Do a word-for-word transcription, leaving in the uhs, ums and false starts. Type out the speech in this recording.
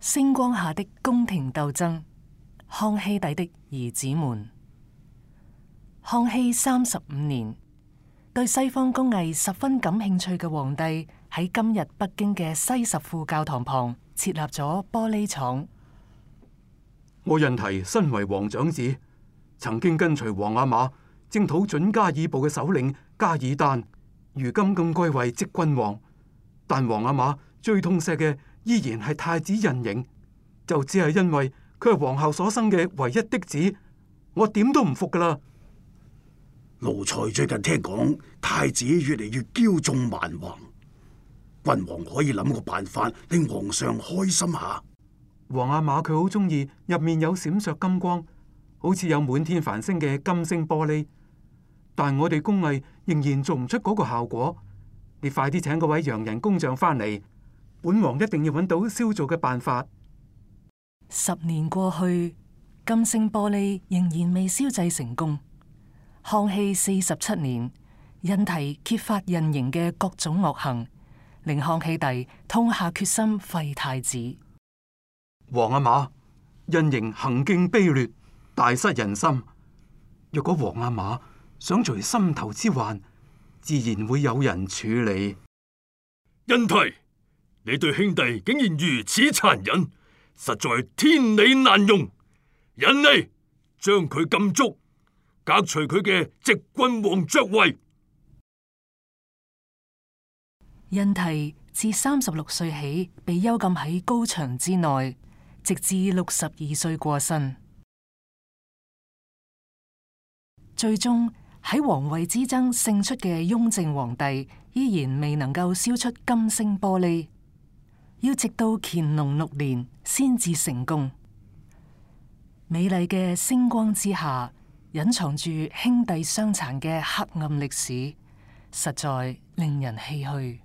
星光下的宮廷鬥爭，康熙帝的兒子們。康熙三十五年，對西方工藝十分感興趣嘅皇帝喺今日北京嘅西什庫教堂旁設立咗玻璃廠。我印提身為皇長子，曾經跟隨皇阿瑪征討準噶爾部嘅首領噶爾丹，如今更貴為即君王。但皇阿瑪最痛錫嘅依然係太子胤禛，就只係因為佢係皇后所生嘅唯一的子，我點都唔服噶啦。奴才最近聽講太子越嚟越驕縱蠻橫，君王可以諗個辦法令皇上開心下。皇阿瑪佢好中意入面有閃爍金光，好似有滿天繁星嘅金星玻璃，但我哋工藝仍然做唔出嗰個效果。你快啲請嗰位洋人工匠翻嚟，本王一定要揾到燒造嘅辦法。十年過去，金星玻璃仍然未燒製成功。康熙四十七年，印提揭發胤禛嘅各種惡行，令康熙帝痛下決心廢太子。皇阿瑪，胤禛行徑卑劣，大失人心。若果皇阿瑪想除心頭之患，自然會有人處理。印提，你對兄弟竟然如此殘忍，實在天理難容。人嚟，將佢禁足，革除佢嘅直君王爵位。印提自三十六歲起被幽禁喺高牆之內，直至六十二歲過身。最終喺皇位之爭勝出嘅雍正皇帝依然未能夠燒出金星玻璃，要直到乾隆六年先至成功。美麗嘅星光之下，隱藏住兄弟相殘嘅黑暗歷史，實在令人唏噓。